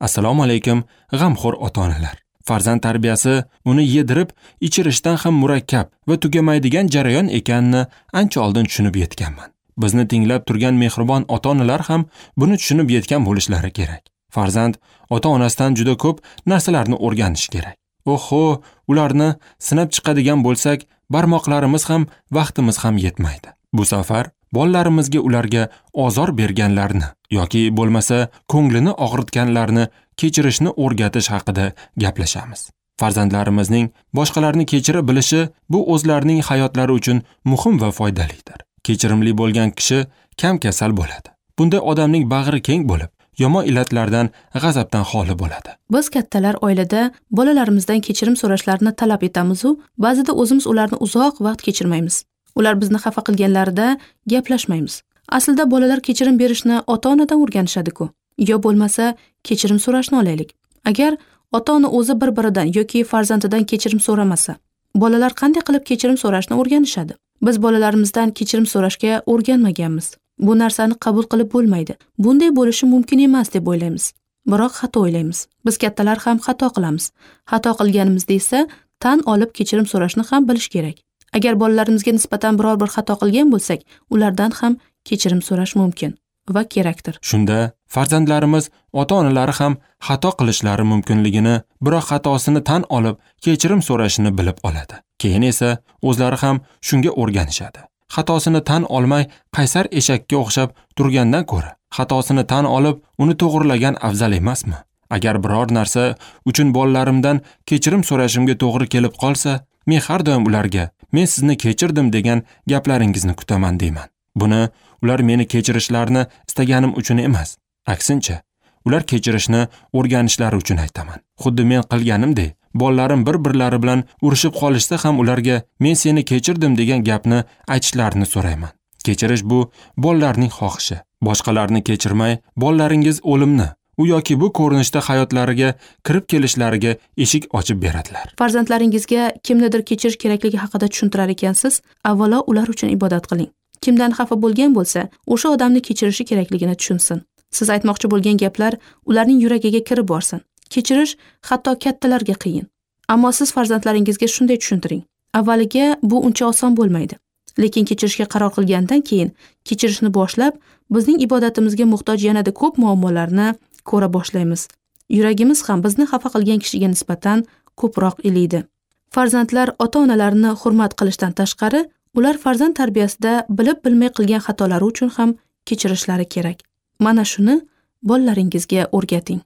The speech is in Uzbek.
Assalomu alaykum, g'amxo'r ota-onalar. Farzand tarbiyasi uni yedirib, ichirishdan ham murakkab va tugamaydigan jarayon ekanini ancha oldin tushunib yetganman. Bizni tinglab turgan mehribon ota-onalar ham buni tushunib yetgan bo'lishlari kerak. Farzand ota-onasidan juda ko'p narsalarni o'rganishi kerak. Oho, ularni sinab chiqadigan bo'lsak, barmoqlarimiz ham, vaqtimiz ham yetmaydi. Bu safar bolalarimizga ularga ozor berganlarni yoki bo'lmasa ko'nglini og'ritganlarni kechirishni o'rgatish haqida gaplashamiz. Farzandlarimizning boshqalarni kechira bilishi bu o'zlarining hayotlari uchun muhim va foydalidir. Kechirimli bo'lgan kishi kam kasal bo'ladi. Bunday odamning bag'ri keng bo'lib, yomon illatlardan, g'azabdan xoli bo'ladi. Biz kattalar oilada bolalarimizdan kechirim so'rashlarini talab etamiz-u, ba'zida o'zimiz ularni uzoq vaqt kechirmaymiz. Ular bizni xafa qilganlarida gaplashmaymiz. Aslida bolalar kechirim berishni ota-onadan o'rganishadi-ku. Yo bo'lmasa kechirim so'rashni olaylik. Agar ota-ona o'zi bir-biridan yoki farzandidan kechirim so'ramasa, bolalar qanday qilib kechirim so'rashni o'rganishadi? Biz bolalarimizdan kechirim so'rashga o'rganmaganmiz. Bu narsani qabul qilib bo'lmaydi. Bunday bo'lishi mumkin emas deb o'ylaymiz. Biroq xato o'ylaymiz. Biz kattalar ham xato qilamiz. Xato qilganimizda esa tan olib kechirim so'rashni ham bilish kerak. Agar bolalarimizga nisbatan biror bir xato qilgan bo'lsak, ulardan ham kechirim so'rash mumkin va kerakdir. Shunda farzandlarimiz ota-onalari ham xato qilishlari mumkinligini, biroq xatosini tan olib kechirim so'rashini bilib oladi. Keyin esa o'zlari ham shunga o'rganishadi. Xatosini tan olmay qaysar eshakka o'xshab turgandan ko'ra, xatosini tan olib uni to'g'rilagan afzal emasmi? Agar biror narsa uchun bolalarimdan kechirim so'rashimga to'g'ri kelib qolsa, men har doim ularga men sizni kechirdim degan gaplaringizni kutaman deyman. Buni ular meni kechirishlarini istaganim uchun emas, aksincha, ular kechirishni o'rganishlari uchun aytaman. Xuddi men qilganimdek, bolalarim bir-birlari bilan urushib qolishsa ham ularga men seni kechirdim degan gapni aytishlarini so'rayman. Kechirish bu bolalarning xohishi. Boshqalarni kechirmay, bolalaringiz o'limni, u yoki bu ko'rinishda hayotlariga kirib kelishlariga eshik ochib beradilar. Farzandlaringizga kimnidir kechirish kerakligi haqida tushuntirar ekansiz, avvalo ular uchun ibodat qiling. Kimdan xafa bo'lgan bo'lsa, o'sha odamni kechirishi kerakligini tushunsin. Siz aytmoqchi bo'lgan gaplar ularning yuragiga kirib borsin. Kechirish hatto kattalarga qiyin. Ammo siz farzandlaringizga shunday tushuntiring. Avvaliga bu uncha oson bo'lmaydi. Lekin kechirishga qaror qilgandan keyin kechirishni boshlab, bizning ibodatimizga muhtoj yanada ko'p muammolarni ko'ra boshlaymiz. Yuragimiz ham bizni xafa qilgan kishiga nisbatan ko'proq iliydi. Farzandlar ota-onalarini hurmat qilishdan tashqari, ular farzand tarbiyasida bilib-bilmay qilgan xatolari uchun ham kechirishlari kerak. Mana shuni bolalaringizga o'rgating.